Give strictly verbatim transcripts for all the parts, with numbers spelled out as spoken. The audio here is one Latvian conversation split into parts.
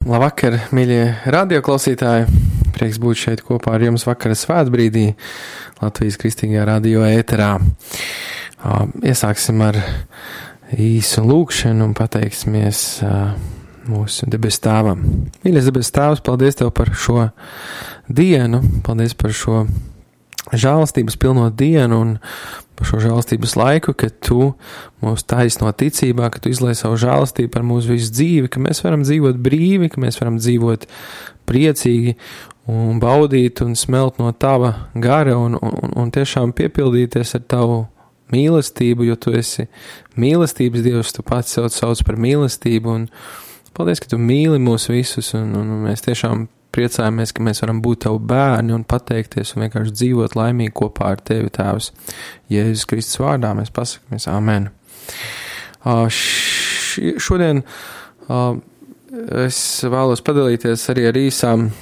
Labvakar, mīļie radioklausītāji! Prieks būt šeit kopā ar jums vakara svētbrīdī Latvijas Kristīgajā radio ēterā. Iesāksim ar īsu lūkšanu un pateiksimies mūsu debes tēvam. Mīļais debes tēvs, paldies Tev par šo dienu, paldies par šo žēlastības pilno dienu un par šo žēlastības laiku, ka Tu mūs taisno ticībā, ka Tu izlai savu žēlastību par mūsu visu dzīvi, ka mēs varam dzīvot brīvi, ka mēs varam dzīvot priecīgi un baudīt un smelt no Tava gara un, un, un tiešām piepildīties ar Tavu mīlestību, jo Tu esi mīlestības Dievs, Tu pats sev sauc par mīlestību un paldies, ka Tu mīli mūs visus un, un mēs tiešām priecājamies, ka mēs varam būt Tavu bērni un pateikties un vienkārši dzīvot laimīgi kopā ar Tevi, Tēvs. Jēzus Kristus vārdā mēs pasakamies amen. Uh, š, šodien uh, es vēlos padalīties arī ar īsām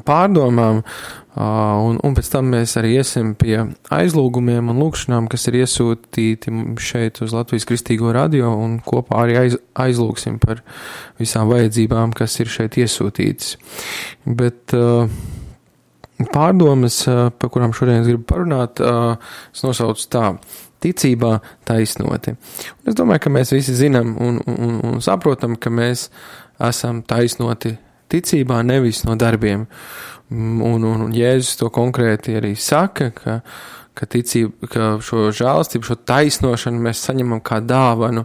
pārdomām, uh, un, un pēc tam mēs arī iesim pie aizlūgumiem un lūkšanām, kas ir iesūtīti šeit uz Latvijas Kristīgo radio, un kopā arī aiz, aizlūgsim par visām vajadzībām, kas ir šeit iesūtītas. Bet uh, pārdomas, uh, par kurām šodien es gribu parunāt, uh, es nosaucu tā: ticībā taisnoti. Un es domāju, ka mēs visi zinām un, un, un saprotam, ka mēs esam taisnoti ticībā, nevis no darbiem. Un, un, un Jēzus to konkrēti arī saka, ka, ka, ticība, ka šo žēlastību, šo taisnošanu mēs saņemam kā dāvanu,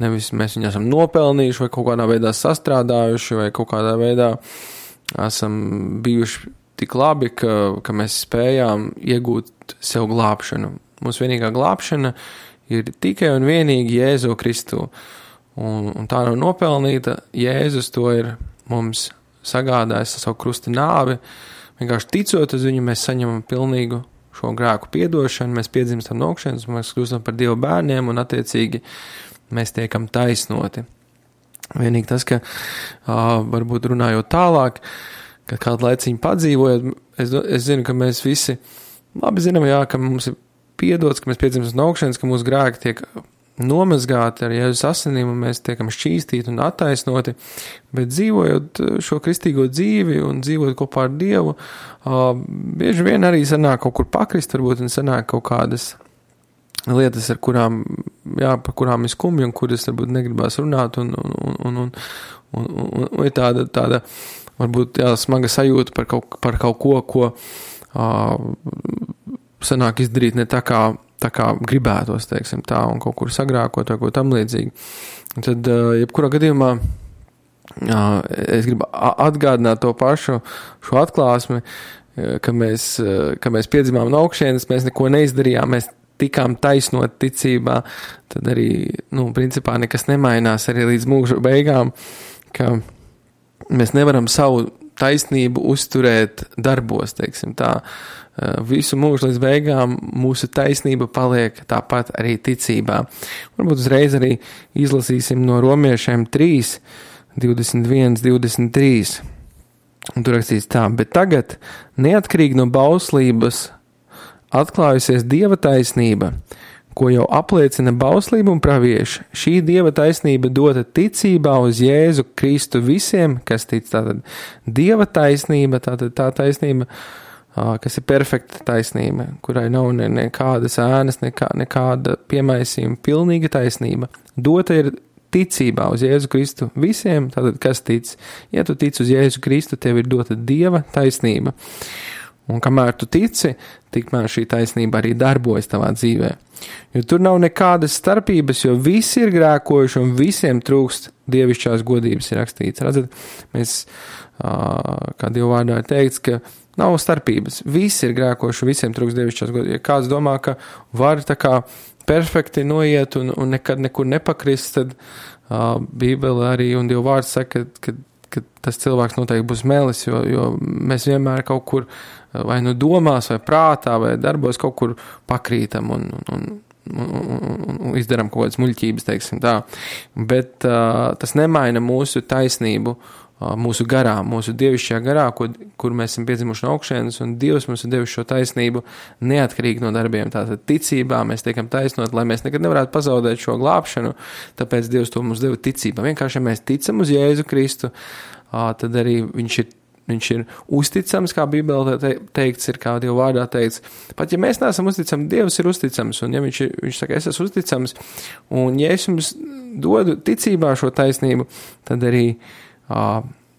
nevis mēs viņu esam nopelnījuši vai kaut kādā veidā sastrādājuši vai kaut kādā veidā esam bijuši tik labi, ka, ka mēs spējām iegūt sev glābšanu. Mūsu vienīgā glābšana ir tikai un vienīgi Jēzu Kristu. Un, un tā nav nopelnīta, Jēzus to ir mums sagādājis ar savu krusta nāvi. Vienkārši ticot uz viņu, mēs saņemam pilnīgu šo grēku piedošanu, mēs piedzimstam no augšas, mēs kļūstam par Dieva bērniem un attiecīgi mēs tiekam taisnoti. Vienīgi tas, ka uh, varbūt runājot tālāk, ka kādu laiciņu padzīvojot, es, es zinu, ka mēs visi labi zinām, jā, ka mums ir piedots, ka mēs piedzimstam no augšas, ka mūsu grēki tiek nomazgāti ar Jēzus asinīm un mēs tiekam šķīstīti un attaisnoti, bet dzīvojot šo kristīgo dzīvi un dzīvot kopā ar Dievu, uh, bieži vien arī sanāk kaut kur pakrist, varbūt un sanāk kaut kādas lietas, ar kurām, jā, par kurām ir skumji un kuras varbūt negribās runāt un, un, un, un, un, un, un, un ir tāda, tāda varbūt jā, smaga sajūta par kaut, par kaut ko, ko uh, sanāk izdarīt ne tā kā tā kā gribētos, teiksim tā, un kaut kur sagrākot vai ko tam līdzīgi. Un tad, jebkurā gadījumā, es gribu atgādināt to pašu, šo atklāsmi, ka mēs, ka mēs piedzimām no augšienes, mēs neko neizdarījām, mēs tikām taisnot ticībā, tad arī, nu, principā nekas nemainās arī līdz mūža beigām, ka mēs nevaram savu taisnību uzturēt darbos, teiksim tā. Visu mūžu līdz beigām mūsu taisnība paliek tāpat arī ticībā. Varbūt uzreiz arī izlasīsim no Romiešiem trīs, divdesmit viens, divdesmit trīs. Un tur rakstīts tā: bet tagad, neatkarīgi no bauslības, atklājusies Dieva taisnība, ko jau apliecina bauslība un pravieši. Šī Dieva taisnība dota ticībā uz Jēzu Kristu visiem, kas tic. Tātad Dieva taisnība, tātad tā taisnība, kas ir perfekta taisnība, kurai nav ne, nekādas ēnas, nekā, nekāda piemaisījuma, pilnīga taisnība. Dota ir ticībā uz Jēzu Kristu visiem, tātad kas tic. Ja tu tic uz Jēzu Kristu, tev ir dota Dieva taisnība. Un kamēr tu tici, tikmēr šī taisnība arī darbojas tavā dzīvē. Jo tur nav nekādas starpības, jo visi ir grēkojuši un visiem trūkst dievišķās godības, ir rakstīts. Redzat, mēs, kā Dieva vārdā ir teikts, ka nav starpības. Visi ir grēkoši, visiem trūkst dievišķās godības. Ja kāds domā, ka var tā kā perfekti noiet un, un nekad nekur nepakrist, tad uh, Bībele arī un Dieva vārds saka, ka, ka tas cilvēks noteikti būs melis, jo, jo mēs vienmēr kaut kur vai nu domās, vai prātā, vai darbos kaut kur pakrītam un, un, un, un, un izdaram kaut kādas muļķības, teiksim tā. Bet uh, tas nemaina mūsu taisnību mūsu garā, mūsu dievišķajā garā, kur, kur mēs esam piedzimuši no augšienes, un Dievs mums ir devis šo taisnību neatkarīgi no darbiem. Tātad ticībā mēs tiekam taisnot, lai mēs nekad nevarētu pazaudēt šo glābšanu, tāpēc Dievs to mums deva ticībā. Vienkārši, ja mēs ticam uz Jēzu Kristu, tad arī viņš ir, viņš ir uzticams, kā Bībelē teikts, ir kā Dieva vārdā teikts. Pat ja mēs neesam uzticami, Dievs ir uzticams, un ja viņš, ir, viņš saka, es esmu uzticams, un ja es jums dodu ticībā šo taisnību, tad arī Uh,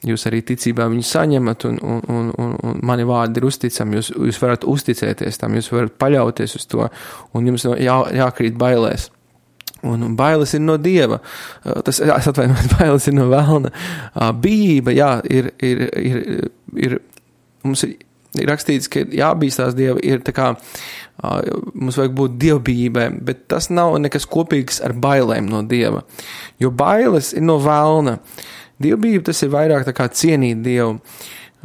jūs arī ticībā viņu saņemat, un, un, un, un, un mani vārdi ir uzticami, jūs, jūs varat uzticēties tam, jūs varat paļauties uz to, un jums jā, jākrīt bailēs. Un, un bailes ir no Dieva, uh, tas, es atvainojos, bailes ir no velna. Uh, bijība, jā, ir, ir, ir, ir, mums ir, ir rakstīts, ka jābīstās Dieva, ir tā kā, uh, mums vajag būt dievbijībai, bet tas nav nekas kopīgs ar bailēm no Dieva, jo bailes ir no velna. Dievbijība tas ir vairāk tā kā cienīt Dievu,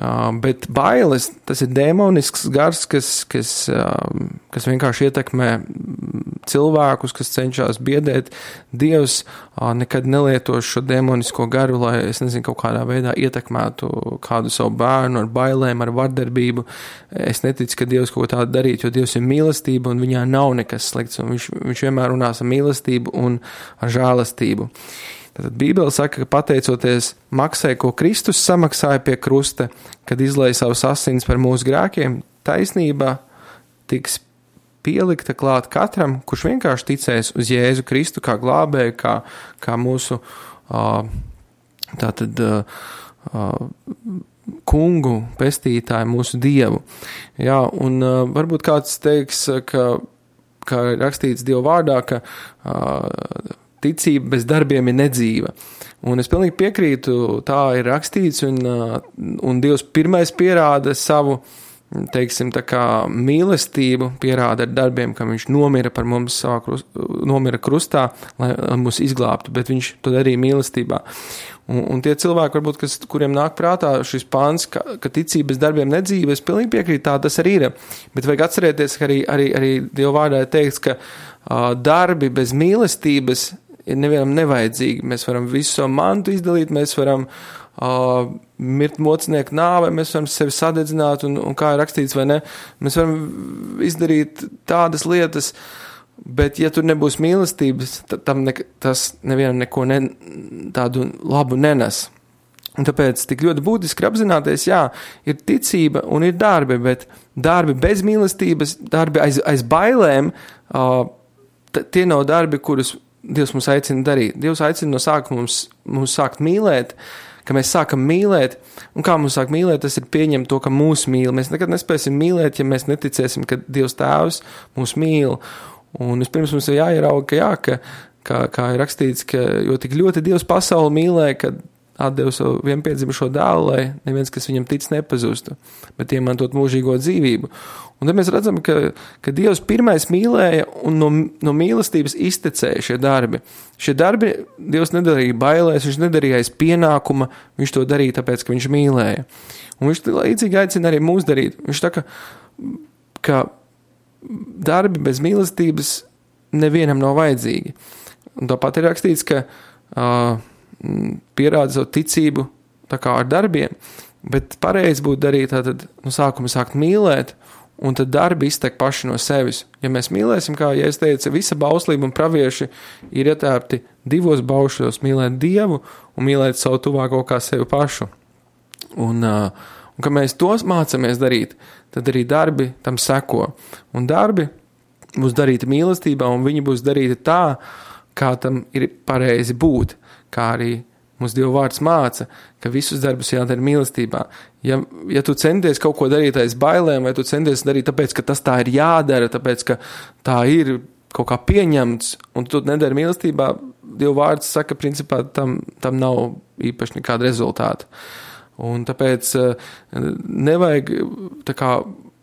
uh, bet bailes tas ir dēmonisks gars, kas, kas, uh, kas vienkārši ietekmē cilvēkus, kas cenšas biedēt. Dievs uh, nekad nelietos šo dēmonisko garu, lai, es nezinu, kaut kādā veidā ietekmētu kādu savu bērnu ar bailēm, ar vardarbību. Es neticu, ka Dievs kaut ko tādu darīt, jo Dievs ir mīlestība un viņā nav nekas slikts, un viņš, viņš vienmēr runās ar mīlestību un ar žēlastību. Tātad Bībele saka, ka pateicoties maksai, ko Kristus samaksāja pie krusta, kad izlēja savus asins par mūsu grēkiem, taisnība tiks pielikta klāt katram, kurš vienkārši ticēs uz Jēzu Kristu kā glābēju, kā, kā mūsu tātad kungu, pestītāju, mūsu Dievu. Jā, un varbūt kāds teiks, ka, kā rakstīts Dieva vārdā, ka ticība bez darbiem ir nedzīva. Un es pilnīgi piekrītu, tā ir rakstīts, un, un Dievs pirmais pierāda savu, teiksim, tā kā mīlestību, pierāda ar darbiem, ka viņš nomira par mums, savā krust, nomira krustā, lai, lai mūs izglābtu, bet viņš to darīja mīlestībā. Un, un tie cilvēki, varbūt, kas, kuriem nāk prātā šis pāns, ka, ka ticība bez darbiem nedzīva, es pilnīgi piekrītu, tā tas arī ir. Bet vajag atcerēties, ka arī, arī, arī Dieva vārdā ir teikts, ka uh, darbi bez mīlestības ir nevienam nevajadzīgi. Mēs varam visu savu mantu izdalīt, mēs varam uh, mirt mocnieku nāvē, mēs varam sevi sadedzināt, un, un kā ir rakstīts, vai ne, mēs varam izdarīt tādas lietas, bet ja tur nebūs mīlestības, tad tam ne, tas nevienam neko ne, tādu labu nenes. Un tāpēc tik ļoti būtiski apzināties, jā, ir ticība un ir darbi, bet darbi bez mīlestības, darbi aiz, aiz bailēm, uh, t- tie nav darbi, kurus Dievs mums aicina darīt. Dievs aicina no sākuma mums, mums sākt mīlēt, ka mēs sākam mīlēt, un kā mums sāk mīlēt, tas ir pieņemt to, ka mūs mīl. Mēs nekad nespēsim mīlēt, ja mēs neticēsim, ka Dievs Tēvs mūs mīl. Un vispirms mums ir jāierauga, ka jā, ka, kā, kā ir rakstīts, ka jo tik ļoti Dievs pasauli mīlēja, ka atdeva savu vienpiedzimušo dēlu, lai neviens, kas viņam tic, nepazustu, bet iemantot mūžīgo dzīvību. Un tad mēs redzam, ka, ka Dievs pirmais mīlēja un no, no mīlestības iztecēja šie darbi. Šie darbi Dievs nedarīja bailēs, viņš nedarīja aiz pienākuma, viņš to darīja tāpēc, ka viņš mīlēja. Un viņš līdzīgi aicina arī mūs darīt. Viņš tā, ka, ka darbi bez mīlestības nevienam nav vajadzīgi. Un tāpat ir rakstīts, ka uh, pierāda savu ticību tā kā ar darbiem, bet pareizi būtu darīt tātad no sākuma sākt mīlēt, un tad darbi iztek paši no sevis. Ja mēs mīlēsim, kā ja es teicu, visa bauslība un pravieši ir ietērpti divos baušļos – mīlēt Dievu un mīlēt savu tuvāko kā sevi pašu. Un, uh, un ka mēs tos mācamies darīt, tad arī darbi tam seko. Un darbi būs darīti mīlestībā, un viņi būs darīti tā, kā tam ir pareizi būt, kā arī mums Dieva vārds māca, ka visus darbus jādara mīlestībā. Ja, ja tu centies kaut ko darīt aiz bailēm, vai tu centies darīt tāpēc, ka tas tā ir jādara, tāpēc, ka tā ir kaut kā pieņemts, un tu nedari mīlestībā, Dieva vārds saka, principā tam, tam nav īpaši nekāda rezultāta. Un tāpēc nevajag tā kā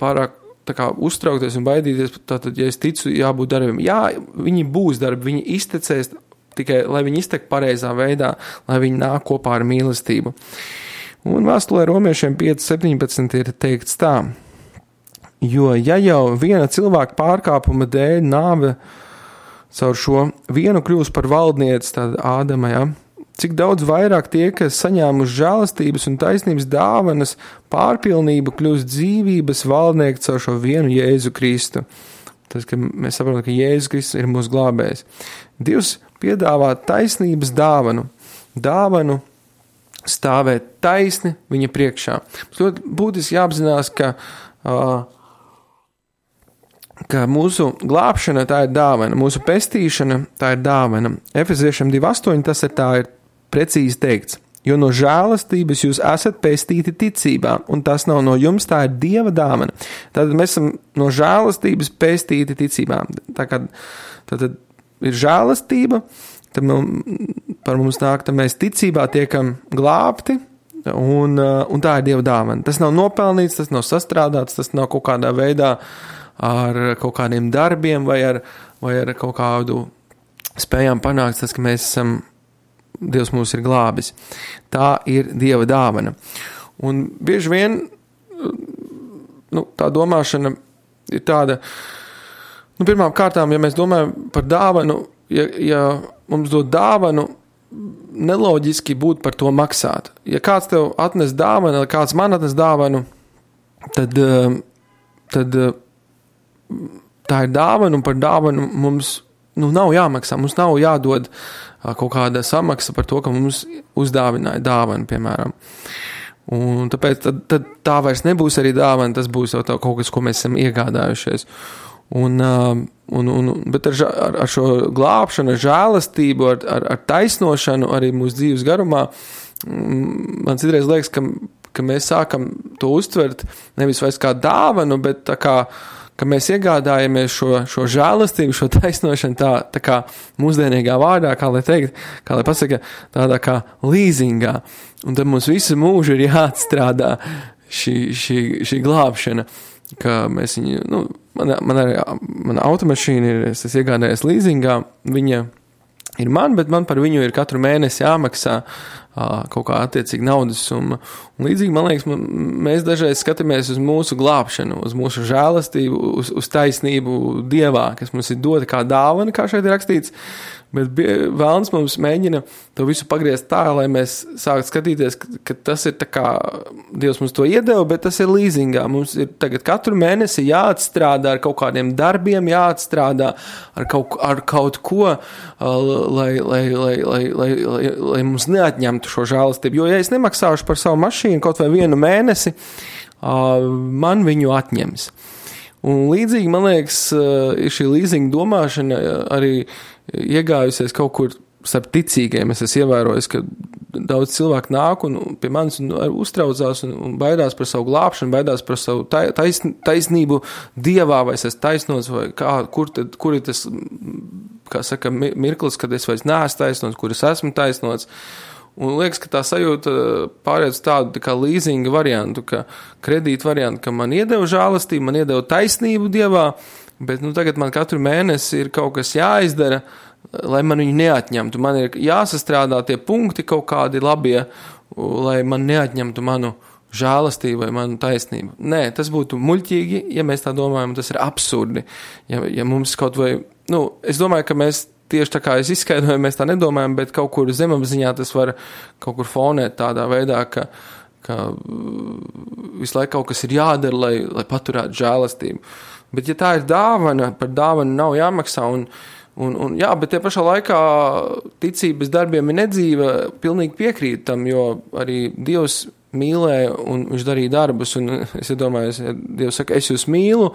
pārāk tā kā uztraukties un baidīties, tātad, ja es ticu, jābūt darbiem. Jā, viņi būs darbi, viņi iztecēs, tikai lai viņi iztek pareizā veidā, lai viņi nāk kopā ar mīlestību. Un vēstulē Romiešiem pieci septiņpadsmit ir teikts tā, jo ja jau viena cilvēka pārkāpuma dēļ nāve caur šo vienu kļūst par valdnieci, tad Ādama, ja, cik daudz vairāk tie, kas saņēmuši žēlastības un taisnības dāvanas, pārpilnību kļūst dzīvības valdnieki caur šo vienu Jēzu Kristu. Tas, ka mēs saprotam, ka Jēzus Kristus ir mūsu glābējs. Dievs piedāvā taisnības dāvanu, dāvanu stāvēt taisni viņa priekšā. Mums ļoti būtiski jāapzinās, ka uh, ka mūsu glābšana tā ir dāvana, mūsu pestīšana tā ir dāvana. Efeziešiem divi astoņi tas ir tā ir precīzi teikts, jo no žēlastības jūs esat pestīti ticībā, un tas nav no jums, tā ir Dieva dāvana. Tātad mēs esam no žēlastības pestīti ticībā. Tā kā tātad ir žēlastība, tad par mums nāk, tad mēs ticībā tiekam glābti, un, un tā ir Dieva dāvana. Tas nav nopelnīts, tas nav sastrādāts, tas nav kaut kādā veidā ar kaut kādiem darbiem vai ar, vai ar kaut kādu spējām panākt tas, ka mēs esam, Dievs mūs ir glābis. Tā ir Dieva dāvana. Un bieži vien, nu, tā domāšana ir tāda, nu, pirmām kārtām, ja mēs domājam par dāvanu, ja, ja mums dod dāvanu, neloģiski būtu par to maksāt. Ja kāds tev atnes dāvanu, vai kāds man atnes dāvanu, tad, tad tā ir dāvana, un par dāvanu mums nu, nav jāmaksā, mums nav jādod kaut kāda samaksa par to, ka mums uzdāvināja dāvanu, piemēram. Un tāpēc tad, tad tā vairs nebūs arī dāvana, tas būs jau tā, kaut kas, ko mēs esam iegādājušies. Un, un, un, bet ar, ar, ar šo glābšanu, ar žēlastību, ar, ar, ar taisnošanu arī mūsu dzīves garumā, man citreiz liekas, ka, ka mēs sākam to uztvert nevis vairs kā dāvanu, bet tā kā ka mēs iegādājamies šo, šo žēlastību, šo taisnošanu tā, tā kā mūsdienīgā vārdā, kā lai teikt, kā lai pasaka, tādā kā līzingā. Un tad mums visu mūžu ir jāatstrādā šī, šī, šī glābšana, ka mēs viņu, nu, man, man arī, mana automašīna ir, es esmu iegādājies līzingā, viņa ir man, bet man par viņu ir katru mēnesi jāmaksā kaut kā attiecīgi naudas summa. Un līdzīgi, man liekas, mēs dažreiz skatāmies uz mūsu glābšanu, uz mūsu žēlastību, uz, uz taisnību Dievā, kas mums ir dota kā dāvana, kā šeit ir rakstīts, bet vēlns mums mēģina to visu pagriezt tā, lai mēs sāktu skatīties, ka, ka tas ir tā kā Dievs mums to iedeva, bet tas ir līzingā. Mums ir tagad katru mēnesi jāatstrādā ar kaut kādiem darbiem, jāatstrādā ar kaut, ar kaut ko, lai, lai, lai, lai, lai, lai, lai mums neatņemtu šo žēlastību. Jo, ja es nemaksāšu par savu mašīnu kaut vai vienu mēnesi, man viņu atņems. Un līdzīgi, man liekas, ir šī līzinga domāšana arī iegājusies kaut kur starp ticīgiem. Es esmu ievērojis, ka daudz cilvēku nāk un pie manis un uztraucās un, un baidās par savu glābšanu, baidās par savu taisn, taisnību Dievā, vai es esmu taisnots, vai kā, kur, tad, kur ir tas, kā saka, mirklis, kad es vairs neesmu taisnots, kur es esmu taisnots. Un liekas, ka tā sajūta pārēc tādu tā kā līzinga variantu, ka kredīta variantu, ka man iedeva žēlastību, man iedeva taisnību Dievā, bet nu, tagad man katru mēnesi ir kaut kas jāizdara, lai man viņu neatņemtu. Man ir jāsastrādā tie punkti kaut kādi labie, lai man neatņemtu manu žēlastību vai manu taisnību. Nē, tas būtu muļķīgi, ja mēs tā domājam, tas ir absurdi. Ja, ja mums kaut vai, nu, es domāju, ka mēs tieši tā kā es izskaidroju, mēs tā nedomājam, bet kaut kur zemapziņā tas var kaut kur fonēt tādā veidā, ka, ka visu laiku kaut kas ir jādara, lai, lai paturētu žēlastību. Bet ja tā ir dāvana, par dāvanu nav jāmaksā, un, un, un jā, bet tie pašā laikā ticības darbiem ir nedzīva, pilnīgi piekrīt tam, jo arī Dievs mīlēja un viņš darīja darbus, un es domāju, ja Dievs saka, es jūs mīlu,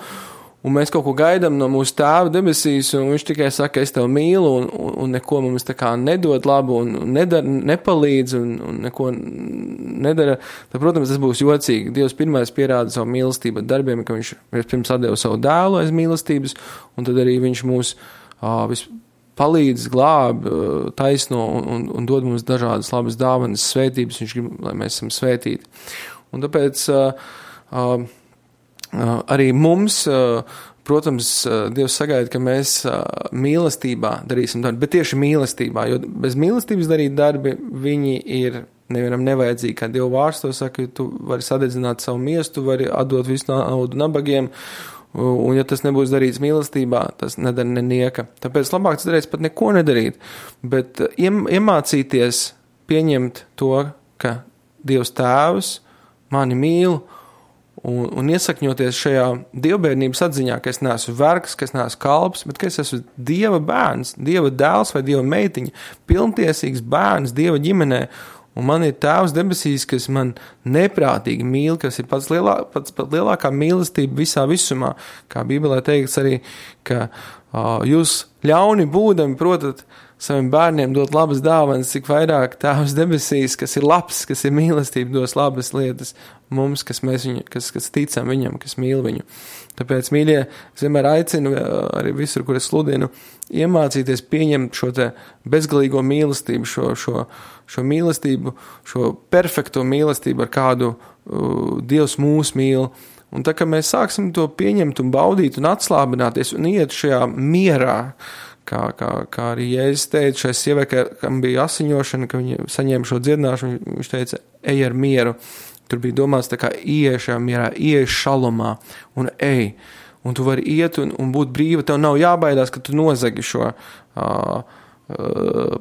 un mēs kaut ko gaidām no mūsu tēva debesīs, un viņš tikai saka, es tev mīlu, un, un, un neko mums tā kā nedod labu, un nedara, nepalīdz, un, un neko nedara, tad, protams, tas būs jocīgi. Dievs pirmais pierāda savu mīlestību ar darbiem, ka viņš pirms atdeva savu dēlu aiz mīlestības, un tad arī viņš mūs uh, vis palīdz, glāb, uh, taisno, un, un, un dod mums dažādas labas dāvanas, svētības, viņš grib, lai mēs esam svētīti. Un tāpēc uh, uh, Uh, arī mums, uh, protams, uh, Dievs sagaida, ka mēs uh, mīlestībā darīsim darbu, bet tieši mīlestībā, jo bez mīlestības darīt darbi, viņi ir nevienam nevajadzīgi, kā Dieva vārds to saka, tu vari sadedzināt savu miestu, vari atdot visu naudu nabagiem, un ja tas nebūs darīts mīlestībā, tas nedara nenieka. Tāpēc labāk tas darīt pat neko nedarīt, bet uh, iemācīties pieņemt to, ka Dievs tēvs mani mīl un, un iesakņoties šajā dievbērnības atziņā, ka es neesmu vergs, ka es neesmu kalps, bet ka es esmu Dieva bērns, Dieva dēls vai Dieva meitiņa, pilntiesīgs bērns Dieva ģimenē, un man ir tēvs debesīs, kas man neprātīgi mīl, kas ir pats, lielā, pats, pats lielākā mīlestība visā visumā, kā Bībelē teikts arī, ka uh, jūs ļauni būdami protat saviem bērniem dot labas dāvanas, cik vairāk tēvs debesīs, kas ir labs, kas ir mīlestība, dos labas lietas mums, kas, mēs viņu, kas, kas ticam viņam, kas mīl viņu. Tāpēc, mīļie, es vienmēr aicinu arī visur, kur es sludinu, iemācīties pieņemt šo te bezgalīgo mīlestību, šo, šo, šo mīlestību, šo perfekto mīlestību, ar kādu uh, Dievs mūs mīl. Un tā, ka mēs sāksim to pieņemt un baudīt un atslābināties un iet šajā mierā, Kā, kā, kā arī Jēzus teica šai sievai, kam bija asiņošana, ka viņa saņēma šo dziedināšanu, viņš teica, ej ar mieru. Tur bija domāts tā kā ieej šajā mierā, ieej šalomā un ej. Un tu vari iet un, un būt brīva, tev nav jābaidās, ka tu nozagi šo uh, uh,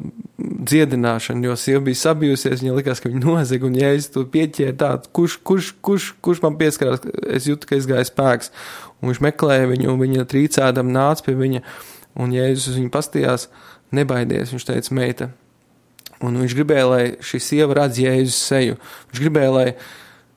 dziedināšanu, jo sieva bija sabijusies, viņa likās, ka viņa nozag, un Jēzus tu pieķēra tā, kurš, kurš, kurš, kurš man pieskarās, es jūtu, ka izgāja spēks. Un viņš meklēja viņu, un viņa trīcēdam nāca pie viņa, un Jēzus uz viņu pastījās, nebaidies, viņš teica, meita. Un viņš gribēja, lai šī sieva redz Jēzus seju. Viņš gribēja, lai,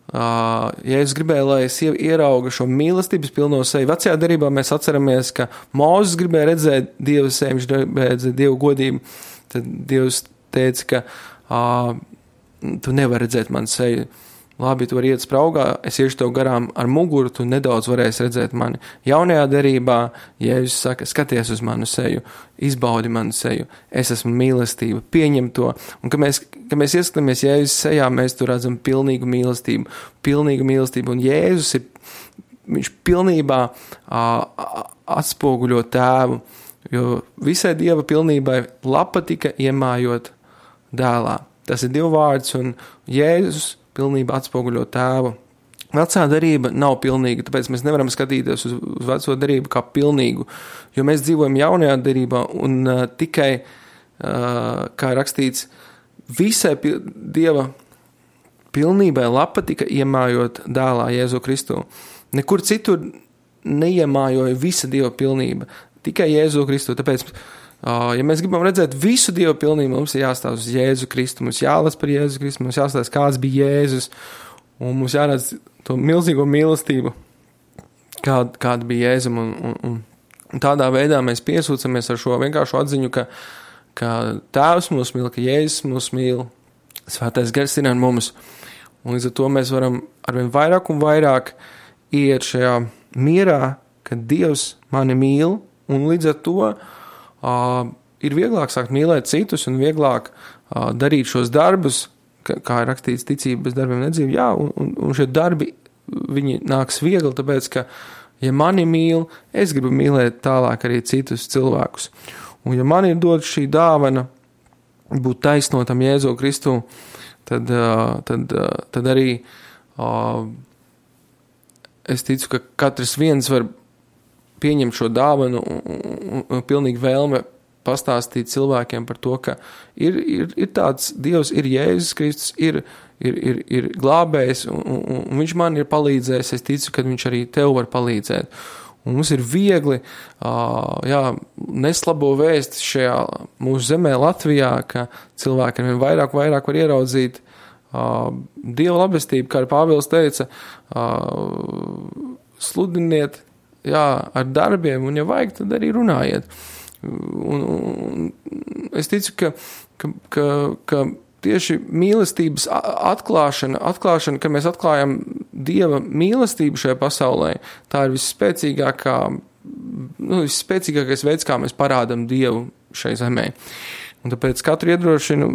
uh, Jēzus gribēja, lai sieva ierauga šo mīlestības pilno seju. Vecajā derībā mēs atceramies, ka Mūzes gribēja redzēt Dievu seju, viņš gribēja redzēt Dievu godību. Tad Dievs teica, ka uh, tu nevari redzēt manu seju. Labi, tu vari iet spraugā, es iešu tev garām ar muguru, tu nedaudz varēsi redzēt mani. Jaunajā derībā Jēzus saka, skaties uz manu seju, izbaudi manu seju, es esmu mīlestība, pieņem to. Un, kad mēs, kad mēs ieskatāmies Jēzus sejā, mēs tur redzam pilnīgu mīlestību, pilnīgu mīlestību. Un Jēzus ir, viņš pilnībā uh, atspoguļo tēvu, jo visai Dieva pilnībai lapa tika iemājot dēlā. Tas ir Dieva vārds, un Jēzus pilnībā atspoguļo tēvu. Vecā derība nav pilnīga, tāpēc mēs nevaram skatīties uz, uz veco derību kā pilnīgu, jo mēs dzīvojam jaunajā derībā un uh, tikai, uh, kā rakstīts, visai pil- Dieva pilnībai lapa tika iemājot dēlā Jēzu Kristu. Nekur citur neiemājoja visa Dieva pilnība, tikai Jēzu Kristu, tāpēc Uh, ja mēs gribam redzēt visu Dievu pilnību, mums ir jāstāv uz Jēzu Kristu, mums jālas par Jēzu Kristu, mums jāstāv, kāds bija Jēzus, un mums jāredz to milzīgo mīlestību, kāda, kāda bija Jēzum, un, un, un, un tādā veidā mēs piesūcamies ar šo vienkāršu atziņu, ka, ka Tēvs mūs mīl, ka Jēzus mūs mīl, Svētais Gars ir ar mums, un līdz ar to mēs varam arvien vairāk un vairāk iet šajā mierā, ka Dievs mani mīl, un līdz ar to Uh, ir vieglāk sākt mīlēt citus un vieglāk uh, darīt šos darbus, kā, kā ir rakstīts ticība bez darbiem nedzīve, jā, un, un, un šie darbi, viņi nāks viegli, tāpēc, ka, ja mani mīl, es gribu mīlēt tālāk arī citus cilvēkus. Un ja man ir dot šī dāvana būt taisnotam Jēzu Kristu, tad, uh, tad, uh, tad arī uh, es ticu, ka katrs viens var pieņemt šo dāvanu un, un, un pilnīgi vēlme pastāstīt cilvēkiem par to, ka ir, ir, ir tāds Dievs, ir Jēzus Kristus, ir, ir, ir, ir glābējs, un, un, un viņš man ir palīdzējis, es ticu, ka viņš arī tev var palīdzēt. Un mums ir viegli, uh, jā, neslabo vēst šajā mūsu zemē Latvijā, ka cilvēki ar vien vairāk, vairāk var ieraudzīt uh, Dieva labestību, kā arī Pāvils teica, uh, sludiniet, jā, ar darbiem, un ja vajag, tad arī runājiet. Un, un es ticu, ka, ka, ka, ka tieši mīlestības atklāšana, atklāšana, ka mēs atklājam Dieva mīlestību šajā pasaulē, tā ir visspēcīgākā, nu, visspēcīgākais veids, kā mēs parādam Dievu šai zemē. Un tāpēc katru iedrošinu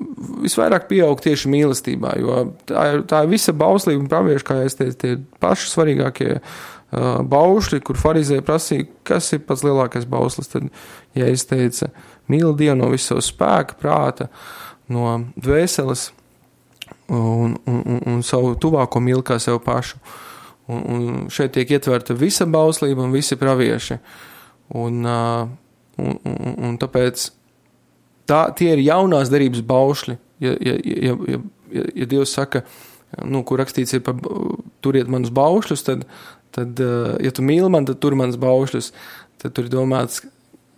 visvairāk pieaug tieši mīlestībā, jo tā ir, tā ir visa bauslība un pravieši, kā es teicu, tie paši svarīgākie Uh, baušļi, kur farizēji prasīja, kas ir pats lielākais bauslis, tad Jēzus teica, mīli Dievu no visu savu spēka, prāta, no dvēseles un, un, un, un savu tuvāko mīli kā sev pašu. Un, un šeit tiek ietverta visa bauslība un visi pravieši. Un, uh, un, un, un tāpēc tā, tie ir jaunās derības baušļi, ja, ja, ja, ja, ja, ja Dievs saka, nu, kur rakstīts ir par turiet manus baušļus, tad, tad, ja tu mīli man, tad tur manus baušļus, tad tur ir domāts,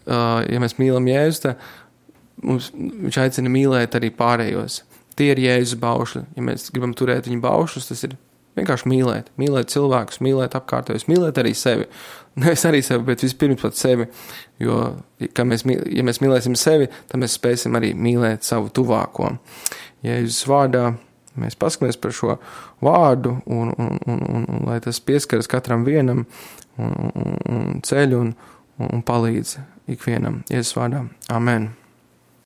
ja mēs mīlam Jēzus, tad mums, viņš aicina mīlēt arī pārējos. Tie ir Jēzus baušļi. Ja mēs gribam turēt viņu baušļus, tas ir vienkārši mīlēt. Mīlēt cilvēkus, mīlēt apkārtējos, mīlēt arī sevi. Nevis arī sevi, bet vispirms pat sevi. Jo, ja mēs, ja mēs mīlēsim sevi, tad mēs spēsim arī mīlēt savu tuvāko. Jēzus vārdā mēs paskatāmies par šo vārdu, un, un, un, un, un lai tas pieskaras katram vienam, un, un, un ceļ un, un palīdz ikvienam. Jēzus vārdā. Amen.